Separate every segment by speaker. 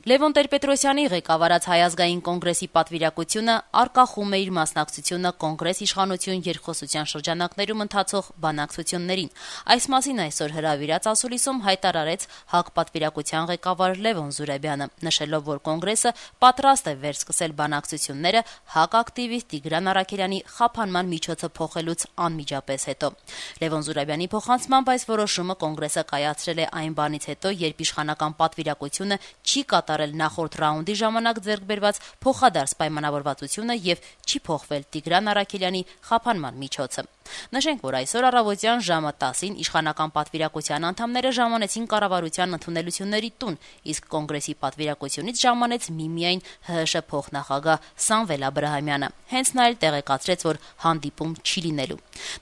Speaker 1: Լևոն Տեր-Պետրոսյանի ղեկավարած Հայ ազգային կոնգրեսի պատվիրակությունը արգախում է իր մասնակցությունը կոնգրես իշխանություն երկխոսության շրջանակներում ընթացող բանակցություններին։ Այս մասին այսօր հրավիրած ասուլիսում հայտարարեց ՀԱԿ պատվիրակության ղեկավար Լևոն Զուրաբյանը, նշելով, որ կոնգրեսը պատրաստ է վերսկսել բանակցությունները ՀԱԿ ակտիվիստ Տիգրան Առաքելյանի խափանման միջոցը փոխելուց անմիջապես հետո։ Լևոն Զուրաբյանի փոխանցմամբ այս որոշումը կոնգրեսը կայացրել է այն բանից հետո, երբ իշխանական պատվիրակությունը չի կատարել նախորդ ռաունդի ժամանակ ձեռք բերված փոխադարձ պայմանավորվածությունը եւ չի փոխվել Տիգրան Առաքելյանի խափանման միջոցը։ Նշենք, որ այսօր առավոտյան ժամը 10-ին իշխանական պատվիրակության անդամները ժամանեցին կառավարության ընդունելությունների տուն, իսկ կոնգրեսի պատվիրակությունից ժամանեց միմիայն ՀՀՇ փոխնախագահ Սամվել Աբրահամյանը։ Հենց նա էլ տեղեկացրեց, որ հանդիպում չի լինելու։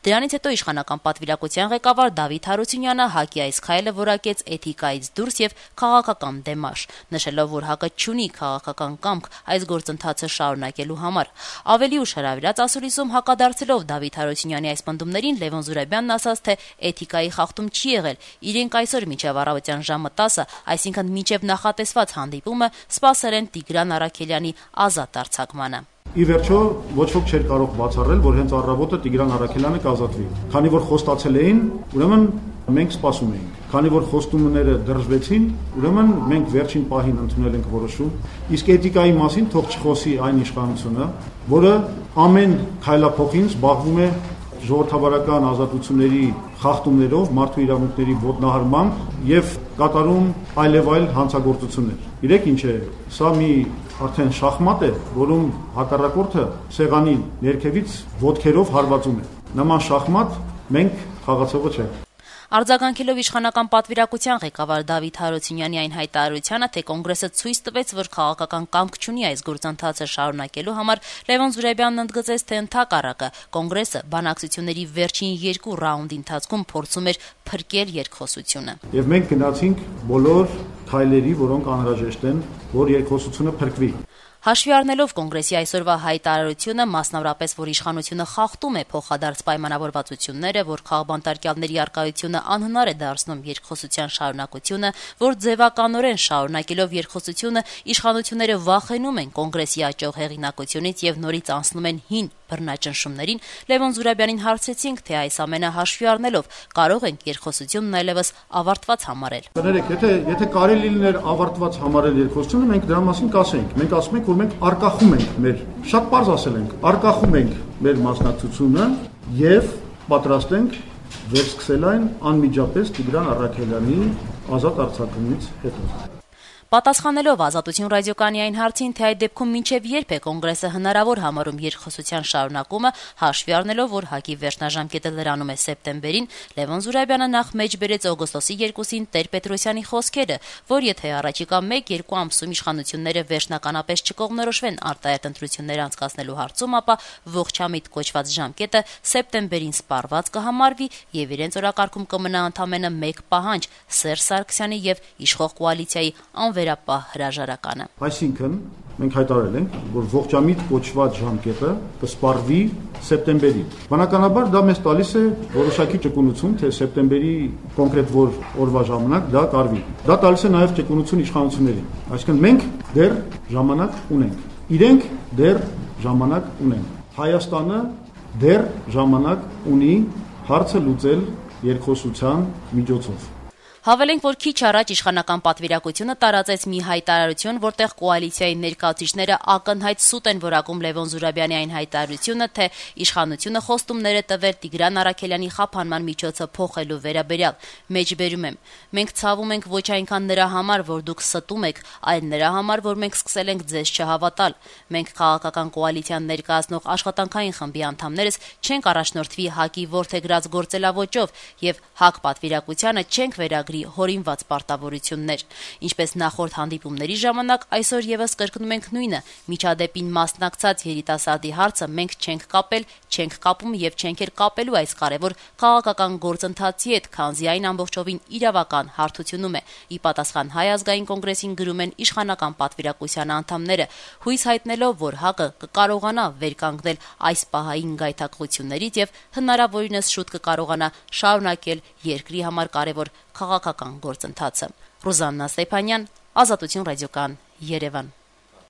Speaker 1: Դրանից հետո իշխանական պատվիրակության ղեկավար Դավիթ Հարությունյանը ՀԱԿ-ի այս քայլը որակեց էթիկայից դուրս եւ քաղաքական դեմարշ, նշելով, որ ՀԱԿ-ը չունի քաղաքական կամք այս գործընթացը շարունակելու համար։ Ավելի ուշ հրավիրած ասուլիսում հակադարձելով Դավիթ Հարությունյանի այս պնդումներին Լևոն Զուրաբյանն ասաց, թե էթիկայի խախտում չի եղել։ Իրենք այսօր մինչև առավոտյան ժամը 10, այսինքն մինչև նախատեսված հանդիպումը, սպասել են Տիգրան Առաքելյանի ազատ արձակմանը։
Speaker 2: Ի վերջո ոչ ոք չէր կարող բացառել, որ հենց առավոտը Տիգրան Առաքելյանը կազատվի։ Քանի որ խոստացել էին, ուրեմն մենք սպասում էինք։ Քանի որ խոստումները դրժվեցին, ուրեմն մենք վերջին պահին ընդունել ենք որոշում։ Իսկ էթիկայի մասին թող չխոսի այն իշխանությունը, որը ամեն քայլափոխին զբաղվում է ժողովրդավարական ազատությունների խախտումներով, մարդու իրավունքների ոտնահարմամբ եւ կատարում այլեւայլ հանցագործություններ։ Իրեք ինչ է, սա մի արդեն շախմատ է, որում հակառակորդը սեղանի ներքևից ոտքերով հարվածում է։ Նման շախմատ մենք խաղացողը չենք։
Speaker 1: Արձագանքելով իշխանական պատվիրակության ղեկավար Դավիթ Հարությունյանի այն հայտարարությանը, թե կոնգրեսը ցույց տվեց, որ քաղաքական կամք չունի այս գործընթացը շարունակելու համար, Լևոն Զուրաբյանն ընդգծեց, թե ընդհակառակը կոնգրեսը բանակցությունների վերջին 2 ռաունդի ընթացքում փորձում էր փրկել երկխոսությունը։
Speaker 2: Եվ մենք գնացինք բոլոր քայլերի, որոնք անհրաժեշտ են, որ երկխոսությունը փրկվի։
Speaker 1: Հաշվի առնելով կոնգրեսի այսօրվա հայտարարությունը, մասնավորապես, որ իշխանությունը խախտում է փոխադարձ պայմանավորվածությունները, որ քաղբանտարկյալների առկայությունը անհնար է դարձնում երկխոսության շարունակությունը, որ ձևականորեն շարունակելով երկխոսությունը իշխանությունները վախենում են կոնգրեսի աճող հեղինակությունից եւ նորից անցնում են հին բռնաճնշումներին, Լևոն Զուրաբյանին հարցրեցինք, թե այս ամենը հաշվի առնելով կարող ենք երկխոսությունն այլևս ավարտված համարել։
Speaker 2: Կներեք, եթե կարելի լիներ ավարտված համարել երկխոսությունը, մենք դրա մասին կասենք։ Մենք ասում ենք, որ մենք արկախում ենք մեր, շատ պարզ ասել ենք, արկախում ենք մեր մասնակցությունը եւ պատրաստ ենք վերսկսել այն անմիջապես Տիգրան Առաքելյանի ազատ արձակումից հետո։
Speaker 1: Պատասխանելով Ազատություն ռադիոկայանի այն հարցին, թե այդ դեպքում մինչև երբ է կոնգրեսը հնարավոր համարում երկխոսության շարունակումը, հաշվի առնելով, որ ՀԱԿ-ի վերջնաժամկետը լրանում է սեպտեմբերին, Լևոն Զուրաբյանը նախ մեջ բերեց օգոստոսի 2-ին Տեր-Պետրոսյանի խոսքերը, որ եթե առաջիկա 1-2 ամսում իշխանությունները վերջնականապես չկողմնորոշվեն արտահերթ ընտրություններ անցկացնելու հարցում, ապա ողջամիտ կոչված ժամկետը սեպտեմբերին սպառված կհամարվի եւ իրենց օրակարգում կմնա ընդամենը 1 պահանջ՝ Սերժ Սարգսյանի եւ իշխող կոալիցիայի վերապահ հրաժարականը։
Speaker 2: Այսինքն մենք հայտարարել ենք, որ ողջամիտ կոչված ժամկետը կսպառվի սեպտեմբերին։ Բնականաբար դա մեզ տալիս է որոշակի ճկունություն, թե սեպտեմբերի կոնկրետ որ օրվա ժամանակ դա կարվի։ Դա տալիս է նաև ճկունություն իշխանություններին։ Այսինքն մենք դեռ ժամանակ ունենք։ Իրենք դեռ ժամանակ ունեն։ Հայաստանը դեռ ժամանակ ունի հարցը լուծել երկխոսության միջոցով։
Speaker 1: Հավելենք, որ քիչ առաջ իշխանական պատվիրակությունը տարածեց մի հայտարարություն, որտեղ կոալիցիայի ներկայացուցիչները ակնհայտ սուտ են որակում Լևոն Զուրաբյանի այն հայտարարությունը, թե իշխանությունը խոստումներ է տվել Տիգրան Առաքելյանի խափանման միջոցը փոխելու վերաբերյալ։ Մեջբերում եմ. մենք ցավում ենք ոչ այնքան նրա համար, որ դուք ստում եք, այլ նրա համար, որ մենք սկսել ենք ձեզ չհավատալ։ Մենք քաղաքական կոալիցիան ներկայացնող աշխատանքային խմբի անդամներս չենք առաջնորդվի ՀԱԿ-ի որդեգրած գործելավոճով եւ ՀԱԿ պատվիրակությանը չենք վերագրի հորինված պարտավորություններ։ Ինչպես նախորդ հանդիպումների ժամանակ, այսօր եւս կրկնում ենք նույնը. միջադեպին մասնակցած երիտասարդի հարցը մենք չենք կապել, չենք կապում եւ չենք էլ կապելու այս կարեւոր քաղաքական գործընթացի հետ, քանզի այն ամբողջովին իրավական հարթությունում է։ Ի պատասխան Հայ ազգային կոնգրեսին գրում են իշխանական պատվիրակության անդամները, հույս հայտնելով, որ ՀԱԿ-ը կկարողանա վերկանգնել այս պահային գայթակղություններից եւ հնարավորինս շուտ կկարողանա շարունակել երկրի համար կարեւոր քաղաքական գործընթացը։ Ռուզաննա Ստեփանյան, Ազատություն ռադիոկան, Երևան։